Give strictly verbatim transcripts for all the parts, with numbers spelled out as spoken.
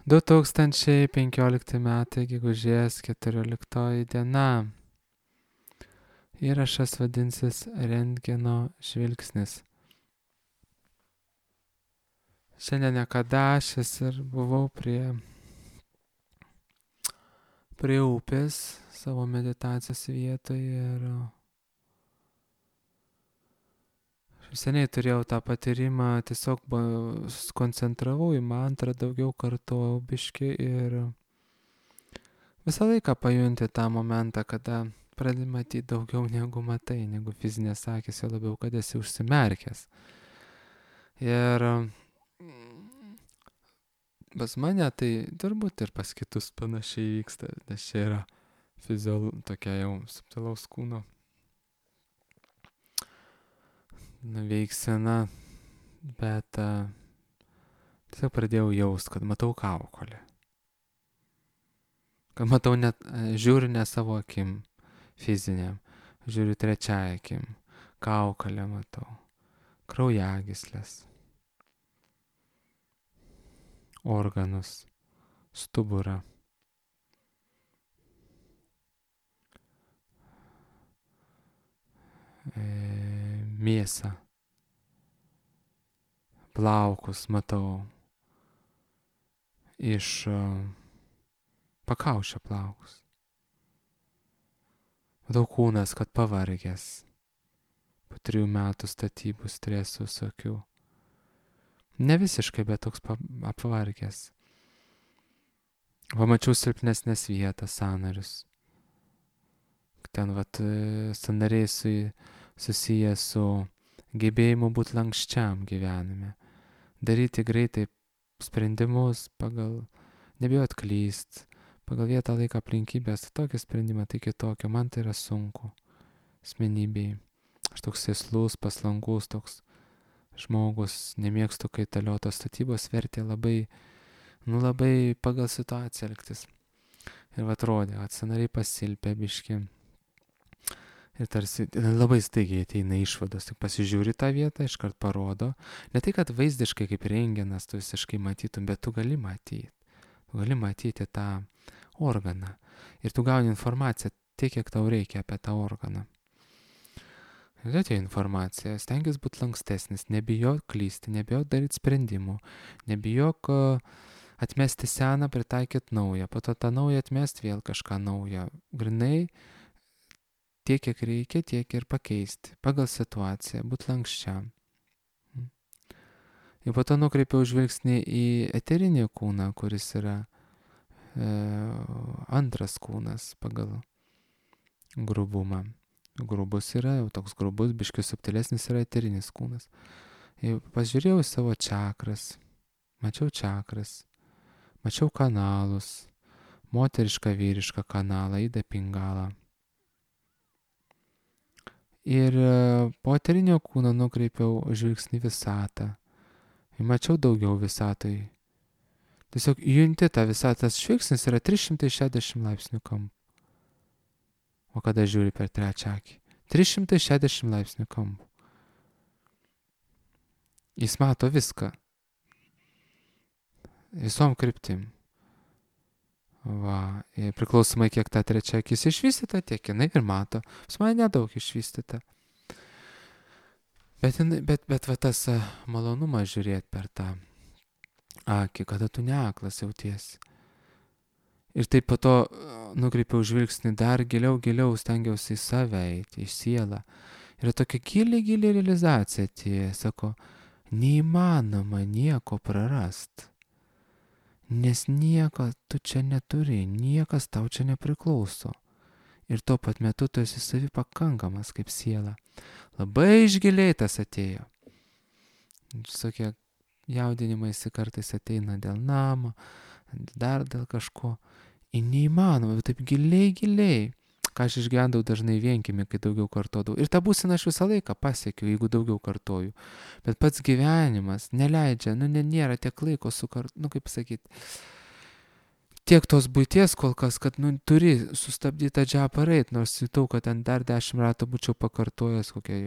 du tūkstančiai penkiolikti metai, gegužės keturioliktoji diena. Įrašas vadinsis Rentgeno žvilgsnis. Šiandien niekada aš ir buvau prie, prie upės savo meditacijos vietoje ir seniai turėjau tą patyrimą, tiesiog koncentravau į mantrą, daugiau kartojau biški ir visą laiką pajunti tą momentą, kada pradedi matyti daugiau negu matai, negu fizinės akis, jau labiau, kad esi užsimerkęs. Ir pas mane tai turbūt ir pas kitus panašiai vyksta, nes čia yra fiziol, tokia jau subtilaus kūno veiksena, bet uh, tiesiog pradėjau jaust, kad matau kaukolę. Kad matau net, žiūriu ne savo akim fiziniam, žiūriu trečiai akim, kaukolę matau, kraujagyslės, organus, stuburą. E, mėsą, plaukus matau, iš uh, pakaušio plaukus. Matau kūnas, kad pavargęs, po trijų metų statybų stresų visokių. Ne visiškai, bet toks apvargęs. Pamačiau silpnesnės vietas, sąnarius. Ten vat sąnariai su, susiję su gebėjimu būti lankščiam gyvenime. Daryti greitai sprendimus pagal, nebijot klyst, pagal vietą, laiką, aplinkybės. Tokį sprendimą, tai kitokio. Man tai yra sunku. Asmenybei. Aš toks sėslus, paslankus, toks žmogus, nemėgstu kaitaliotos statybos, vertė labai, nu labai pagal situaciją elgtis. Ir va atrodė, kad sąnariai pasilpė biški. Ir tarsi labai staigiai ateina išvados, tik pasižiūri tą vietą, iškart parodo. Ne tai, kad vaizdiškai kaip rentgenas tu visiškai matytum, bet tu gali matyti. Tu gali matyti tą organą. Ir tu gauni informaciją tiek, kiek tau reikia apie tą organą. Ir atėjo informacija, stengiasi būti lankstesnis, nebijok klysti, nebijok daryti sprendimų, nebijok atmesti seną, pritaikyti naują, po to tą naują atmesti vėl kažką naują. Grinai tiek, kiek reikia, tiek ir pakeisti, pagal situaciją, būti lankščiam. Ir po to nukreipiau žvilgsnį į eterinį kūną, kuris yra e, antras kūnas pagal grubumą. Grubus yra, jau toks grubus, biškiai subtilesnis yra eterinis kūnas. Ir pažiūrėjau į savo čakras, mačiau čakras, mačiau kanalus, moterišką, vyrišką kanalą, įdą pingalą. Ir po eterinio kūno nukreipiau žvilgsnį visatą. Ir mačiau daugiau visatoj. Tiesiog junti tą visatą, žvilgsnis yra trys šimtai šešiasdešimt laipsnių kampu. O kada žiūri per trečią akį? trys šimtai šešiasdešimt laipsnių kampu. Jis mato viską. Visom kryptim. Va, ir priklausomai kiek ta trečia akis išvystyta, tiek jinai ir mato. Pas mane nedaug išvystyta. Bet, bet, bet va tas malonumas žiūrėti per tą akį, kada tu neaklas jautiesi. Ir taip po to nukreipiau žvilgsnį dar giliau, giliau, stengiausi į save eiti, į sielą. Ir tokia gili, gili realizacija tie, sako, neįmanoma nieko prarast. Nes nieko tu čia neturi, niekas tau čia nepriklauso. Ir tuo pat metu tu esi savi pakankamas kaip siela. Labai išgiliai tas atėjo. Visokie jaudinimaisi kartais ateina dėl namo, dar dėl kažko. Ir neįmanoma, bet taip giliai, giliai. Ką aš išgyvendau dažnai vienkimi, kai daugiau kartodavau. Ir tą būseną aš visą laiką pasiekiu, jeigu daugiau kartoju. Bet pats gyvenimas neleidžia, nu nėra tiek laiko sukart, nu kaip sakyti, tiek tos buities kol kas, kad nu turi sustabdyti tą džiapą reit, nors jutau, kad ten dar dešimt ratų būčiau pakartojęs kokią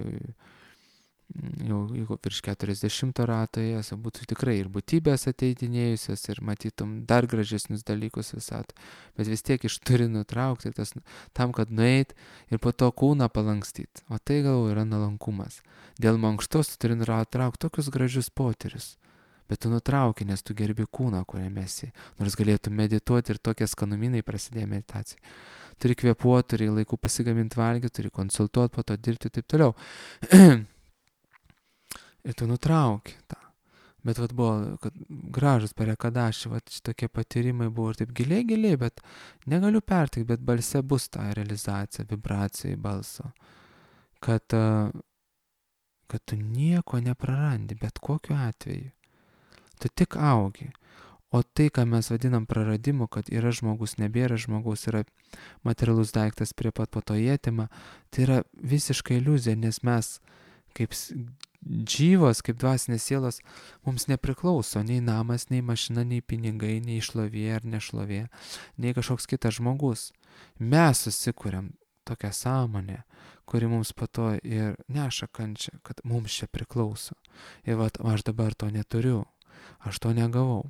jau jeigu virš keturiasdešimto rato ėjęs, būtų tikrai ir būtybės ateidinėjusios, ir matytum dar gražesnius dalykus visat. Bet vis tiek iš turi nutraukti tas, tam, kad nueit ir po to kūną palankstyti. O tai gal yra nuolankumas. Dėl mankštos tu turi nutraukti tokius gražius potyrius. Bet tu nutrauki, nes tu gerbi kūną, kuriame esi. Nors galėtum medituoti ir tokie skanumynai prasidėjo meditacijai. Turi kvėpuoti, turi laiku pasigaminti valgyti, turi konsultuoti, po to dirbti ir taip toliau. Ir tu nutrauki tą. Bet vat buvo, kad gražus parekadaši, vat šitokie patyrimai buvo ir taip giliai, giliai, bet negaliu pertikti, bet balse bus ta realizacija, vibracija į balso. Kad, kad tu nieko neprarandi, bet kokiu atveju. Tu tik augi. O tai, ką mes vadinam praradimu, kad yra žmogus, nebėra žmogus, yra materialus daiktas prie pat po to jėtima, tai yra visiškai iliuzija, nes mes kaip džyvos, kaip dvasinės sielos, mums nepriklauso nei namas, nei mašina, nei pinigai, nei šlovė ar nešlovė, nei kažkoks kitas žmogus. Mes susikuriam tokią sąmonę, kuri mums po to ir neša kančią, kad mums čia priklauso. Ir vat, aš dabar to neturiu, aš to negavau.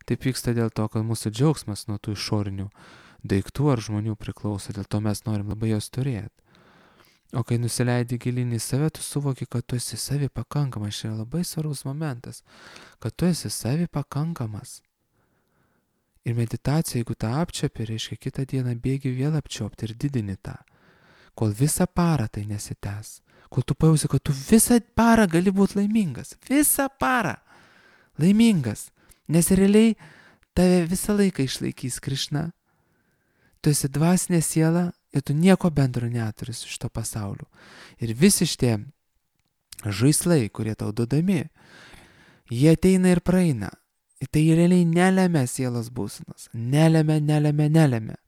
Taip vyksta dėl to, kad mūsų džiaugsmas nuo tų išorinių daiktų ar žmonių priklauso, dėl to mes norim labai jos turėti. O kai nusileidi gilinį į save, tu suvoki, kad tu esi savi pakankamas. Čia yra labai svarbus momentas, kad tu esi savi pakankamas. Ir meditacija, jeigu tą apčiapi, reiškia kitą dieną bėgi vėl apčiopti ir didini tą, kol visą parą tai nesitęs. Kol tu pajausi, kad tu visą parą gali būti laimingas. Visą parą laimingas. Nes realiai tave visą laiką išlaikys Krišna. Tu esi dvasinė siela ir tu nieko bendro neturi su šito pasauliu. Ir visi šitie žaislai, kurie tau duodami, jie ateina ir praeina. Ir tai realiai nelemia sielos būsenos. Nelemia, nelemia, nelemia.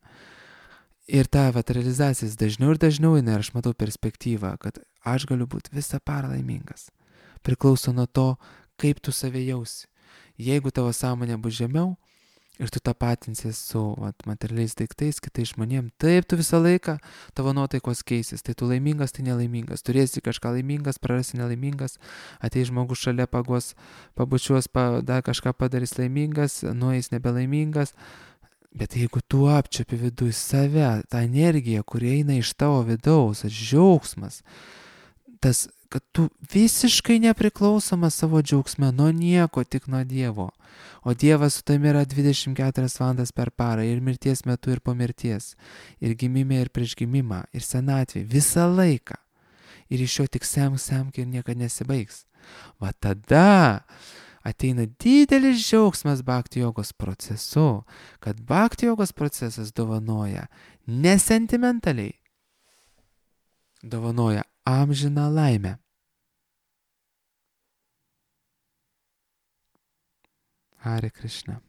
Ir ta vat realizacijas dažniau ir dažniau eina ir aš matau perspektyvą, kad aš galiu būti visą parą laimingas. Priklauso nuo to, kaip tu save jausi. Jeigu tavo sąmonė bus žemiau ir tu tapatinsies su vat, materialiais daiktais, kitais žmonėm, taip tu visą laiką tavo nuotaikos keisis. Tai tu laimingas, tai nelaimingas. Turėsi kažką laimingas, prarasi nelaimingas, ateis žmogus šalia pagos, pabučiuos, pa, dar kažką padarys laimingas, nueis nebelaimingas. Bet jeigu tu apčiapi viduje save, tą energiją, kuri eina iš tavo vidaus, tas džiaugsmas, tas, kad tu visiškai nepriklausomas savo džiaugsme nuo nieko, tik nuo Dievo. O Dievas su tavimi yra dvidešimt keturias valandas per parą, ir mirties metu, ir po mirties, ir gimime, ir prieš gimimą, ir senatvė, visą laiką. Ir iš jo tik semk, semk ir niekada nesibaigs. Va tada ateina didelis džiaugsmas bhakti jogos procesu, kad bhakti jogos procesas dovanoja nesentimentaliai, dovanoja amžiną laimę. Hare Krishna.